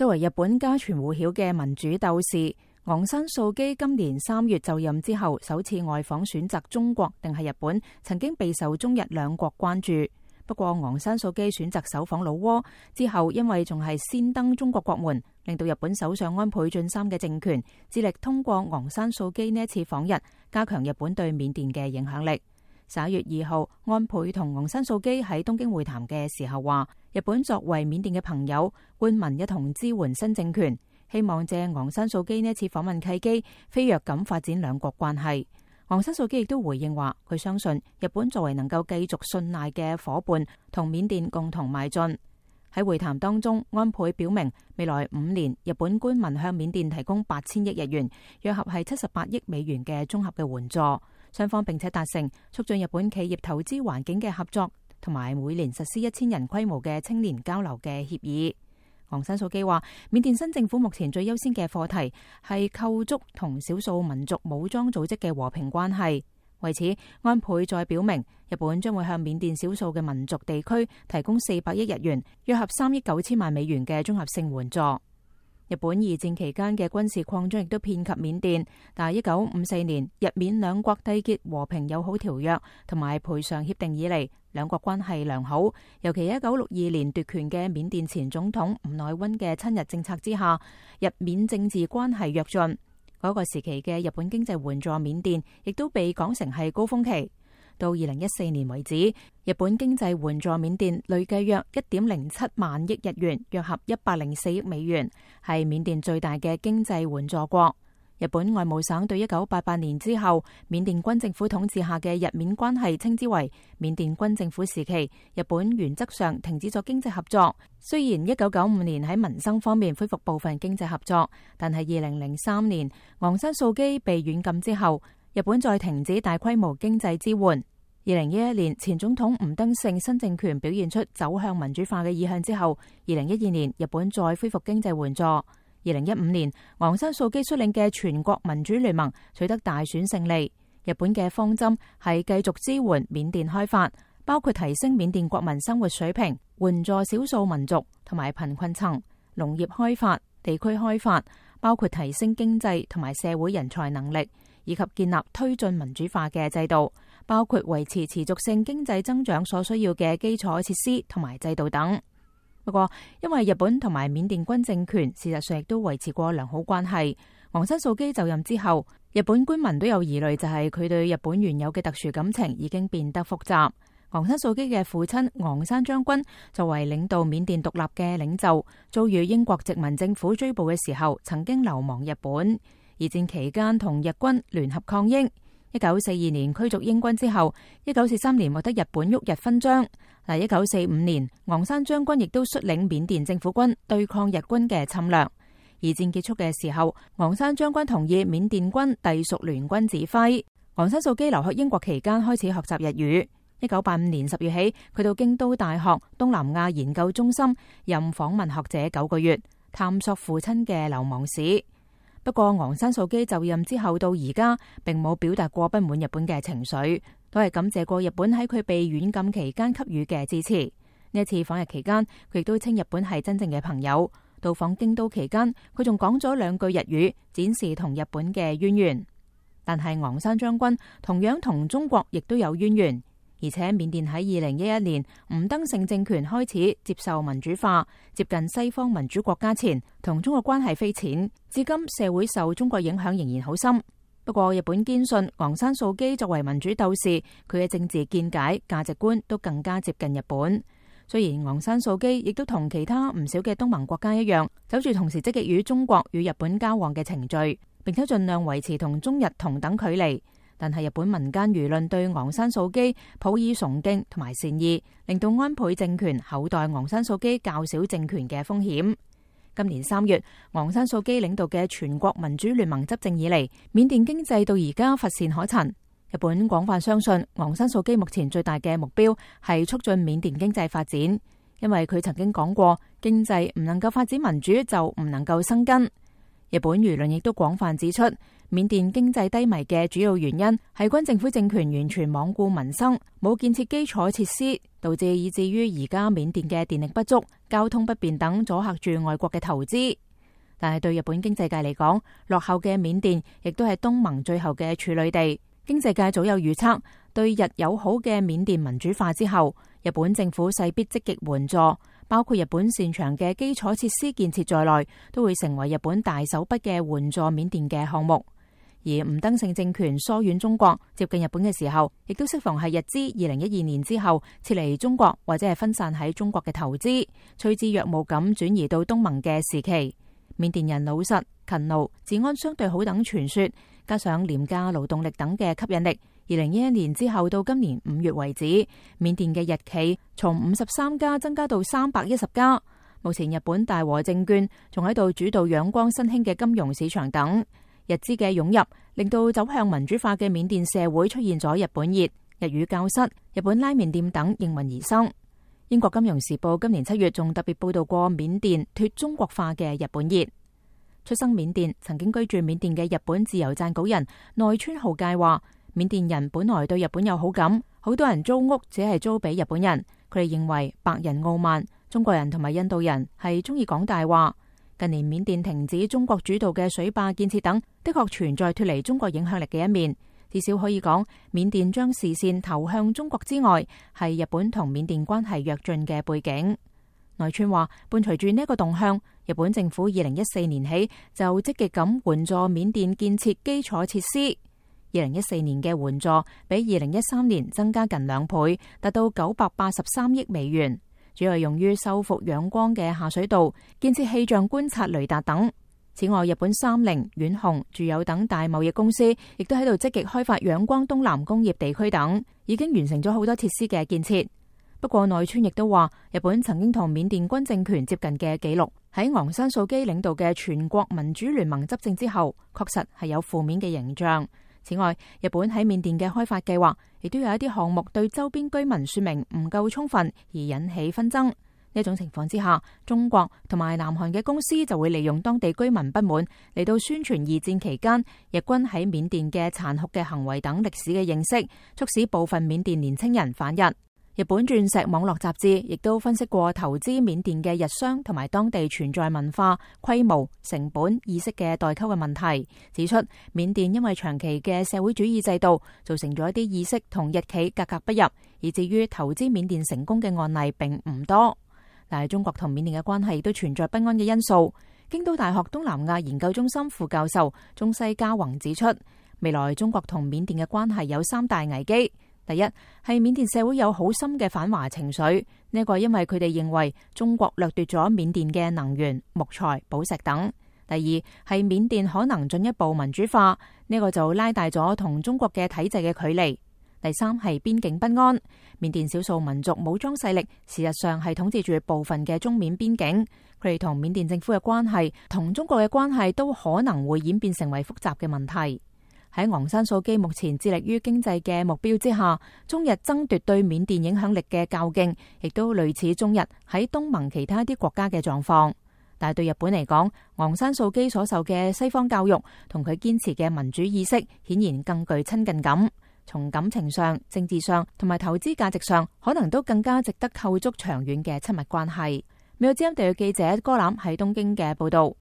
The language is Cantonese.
作為日本家傳戶曉嘅民主鬥士，昂山素姬今年3月就任之後，首次外訪選擇中國定係日本，曾經備受中日兩國關注。不過昂山素姬選擇首訪老撾之後，因為仲係先登中國國門，令到日本首相安倍晉三嘅政權致力通過昂山素姬呢一次訪日，加強日本對緬甸嘅影響力。11月2號，安倍同昂山素姬喺東京會談嘅時候話，日本作為緬甸嘅朋友，官民一同支援新政權，希望借昂山素姬呢一次訪問契機，飛躍咁發展兩國關係。昂山素姬亦都回應話，佢相信日本作為能夠繼續信賴嘅夥伴，同緬甸共同邁進。喺會談當中，安倍表明未來5年日本官民向緬甸提供8000億日元，約合係78億美元嘅綜合嘅援助。雙方並且達成促進日本企業投資環境嘅合作，同埋每年實施1000人規模嘅青年交流嘅協議。昂山素姬話，緬甸新政府目前最優先嘅課題係構築同少數民族武裝組織嘅和平關係。為此，安倍再表明，日本將會向緬甸少數嘅民族地區提供400億日元，約合3億9千萬美元嘅綜合性援助。日本二戰期間嘅軍事擴張亦都遍及緬甸，但係1954年日緬兩國締結和平友好條約同埋賠償協定以嚟，兩國關係良好。尤其1962年奪權嘅緬甸前總統吳乃溫嘅親日政策之下，日緬政治關係躍進。嗰個時期嘅日本經濟援助緬甸，亦都被講成係高峰期。到2014年為止，日本經濟援助緬甸累計約1.07萬億日元，約合104億美元，係緬甸最大嘅經濟援助國。日本外務省對1988年之後緬甸軍政府統治下嘅日緬關係稱之為緬甸軍政府時期，日本原則上停止咗經濟合作。雖然1995年喺民生方面恢復部分經濟合作，但係2003年昂山素姬被軟禁之後，日本再停止大規模經濟支援。2011年前總統吳登盛新政權表現出走向民主化嘅意向之後，2012年日本再恢復經濟援助。2015年，昂山素姬率領嘅全國民主聯盟取得大選勝利。日本嘅方針係繼續支援緬甸開發，包括提升緬甸國民生活水平、援助少數民族同埋貧困層、農業開發、地區開發，包括提升經濟同埋社會人才能力，以及建立推進民主化嘅制度，包括維持持續性經濟增長所需要嘅基礎設施同埋制度等。不過，因為日本同埋緬甸軍政權事實上亦都維持過良好關係，昂山素姬就任之後，日本官民都有疑慮，就係佢對日本原有嘅特殊感情已經變得複雜。昂山素姬嘅父親昂山將軍作為領導緬甸獨立嘅領袖，遭遇英國殖民政府追捕嘅時候，曾經流亡日本。二戰期間同日軍聯合抗英。1942年驅逐英軍之後，1943年獲得日本旭日勳章。1945年，昂山將軍亦都率領緬甸政府軍對抗日軍嘅侵略。二戰結束嘅時候，昂山將軍同意緬甸軍隸屬聯軍指揮。昂山素姬留學英國期間開始學習日語。1985年10月起，佢到京都大學東南亞研究中心任訪問學者9個月，探索父親嘅流亡史。不過，昂山素姬就任之後到而家，並冇表達過不滿日本嘅情緒，都係感謝過日本喺佢被軟禁期間給予嘅支持。呢一次訪日期間，佢亦都稱日本係真正嘅朋友。到訪京都期間，佢仲講咗2句日語，展示同日本嘅淵源。但係昂山將軍同樣同中國亦都有淵源。而且緬甸喺2011年吳登盛政權開始接受民主化，接近西方民主國家前，同中國關係非淺，至今社會受中國影響仍然好深。不過日本堅信昂山素姬作為民主鬥士，佢嘅政治見解、價值觀都更加接近日本。雖然昂山素姬亦都同其他唔少嘅東盟國家一樣，走住同時積極與中國與日本交往嘅程序，並且盡量維持同中日同等距離。但係日本民間輿論對昂山素姬抱以崇敬同埋善意，令到安倍政權厚待昂山素姬較少政權嘅風險。今年3月，昂山素姬領導嘅全國民主聯盟執政以嚟，緬甸經濟到而家乏善可陳。日本廣泛相信昂山素姬目前最大嘅目標係促進緬甸經濟發展，因為佢曾經講過，經濟唔能夠發展民主就唔能夠生根。日本輿論亦都廣泛指出，緬甸經濟低迷嘅主要原因係軍政府政權完全罔顧民生，冇建設基礎設施，導致以至於而家緬甸嘅電力不足、交通不便等阻嚇住外國嘅投資。但係對日本經濟界嚟講，落後嘅緬甸亦都係東盟最後嘅處女地。經濟界早有預測，對日友好嘅緬甸民主化之後，日本政府勢必積極援助，包括日本擅長嘅基礎設施建設在內，都會成為日本大手筆嘅援助緬甸嘅項目。而吳登盛政權疏遠中國、接近日本嘅時候，亦都適逢係日資2012年之後撤離中國或者係分散喺中國嘅投資，趨之若鶩咁轉移到東盟嘅時期。緬甸人老實、勤勞、治安相對好等傳說，加上廉價勞動力等嘅吸引力，2011年之後到今年5月為止，緬甸嘅日企從53家增加到310家。目前日本大和證券仲喺度主導仰光新興嘅金融市場等。日資嘅湧入，令到走向民主化嘅緬甸社會出現咗日本熱、日語教室、日本拉麵店等應運而生。英國金融時報今年7月仲特別報道過緬甸脫中國化嘅日本熱。出生緬甸、曾經居住緬甸嘅日本自由撰稿人內村浩介話，緬甸人本來對日本有好感，好多人租屋只係租俾日本人。佢哋認為白人傲慢，中國人同埋印度人係中意講大話。近年緬甸停止中國主導嘅水壩建設等，的確存在脫離中國影響力嘅一面。至少可以講，緬甸將視線投向中國之外，係日本同緬甸關係躍進嘅背景。內村話，伴隨住呢一個動向，日本政府2014年起就積極咁援助緬甸建設基礎設施。2014年嘅援助比2013年增加近2倍，達到983億美元。主要用於修復仰光嘅下水道、建設氣象觀察雷達等。此外，日本三菱、遠鴻、住友等大貿易公司亦都喺度積極開發仰光東南工業地區等，已經完成咗好多設施嘅建設。不過內村亦都話，日本曾經同緬甸軍政權接近嘅記錄，喺昂山素基領導嘅全國民主聯盟執政之後，確實係有負面嘅形象。此外，日本喺緬甸嘅開發計劃亦都有一啲項目對周邊居民說明唔夠充分，而引起紛爭。呢種情況之下，中國同埋南韓嘅公司就會利用當地居民不滿嚟到宣傳二戰期間日軍喺緬甸嘅殘酷嘅行為等歷史嘅認識，促使部分緬甸年輕人反日。日本鑽石網絡雜誌亦都分析過投資緬甸嘅日商同埋當地存在文化、規模、成本、意識嘅代溝嘅問題，指出緬甸因為長期嘅社會主義制度，造成咗一啲意識同日企格格不入，以至於投資緬甸成功嘅案例並唔多。但係中國同緬甸嘅關係亦都存在不安嘅因素。京都大學東南亞研究中心副教授中西嘉宏指出，未來中國同緬甸嘅關係有3大危機。第一，係緬甸社會有好深嘅反華情緒，呢個因為佢哋認為中國掠奪咗緬甸嘅能源、木材、寶石等。第二，係緬甸可能進一步民主化，呢個就拉大咗同中國嘅體制嘅距離。第三，係邊境不安，緬甸少數民族武裝勢力事實上係統治住部分嘅中緬邊境，佢哋同緬甸政府嘅關係同中國嘅關係都可能會演變成為複雜嘅問題。喺昂山素基目前致力於經濟嘅目標之下，中日爭奪對緬甸影響力嘅較勁，亦都類似中日喺東盟其他一啲國家嘅狀況。但係對日本嚟講，昂山素基所受嘅西方教育同佢堅持嘅民主意識，顯然更具親近感。從感情上、政治上同埋投資價值上，可能都更加值得構築長遠嘅親密關係。美國之音地區記者柯欖喺東京嘅報道。